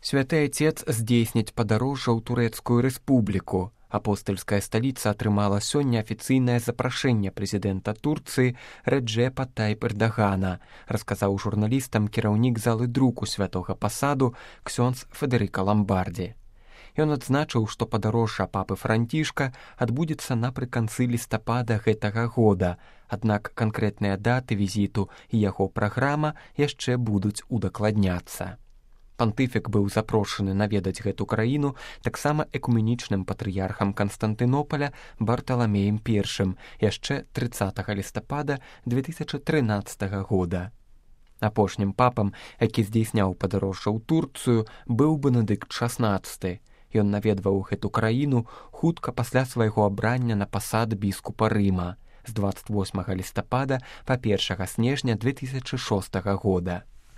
Святы Отец здзейсніць падарожжа ў Турэцкую рэспубліку. Апостальская сталіца атрымала сёння афіцыйнае запрашэнне прэзідэнта Турцыі Рэджэпа Тайып Эрдагана, расказаў журналістам кіраўнік залы друку святога пасаду ксёндз Федэрыка Ламбардзі. Ён адзначыў, што падарожжа папы Францішка адбудзецца напрыканцы лістапада гэтага года, аднак канкрэтныя даты візіту і яго праграма яшчэ будуць удакладняцца. Пантыфік быў запрошаны наведаць гэту краіну таксама экуменічным патрыярхам Канстантынополя Барталамеем I яшчэ 30 лістапада 2013 года. Апошнім папам, які здзейсняў падарожжа ў Турцыю, быў Бенедыкт XVI. Ён наведваў гэту краіну хутка пасля свайго абрання на пасад біскупа Рыма з 28 лістапада па 1 снежня 2006 года.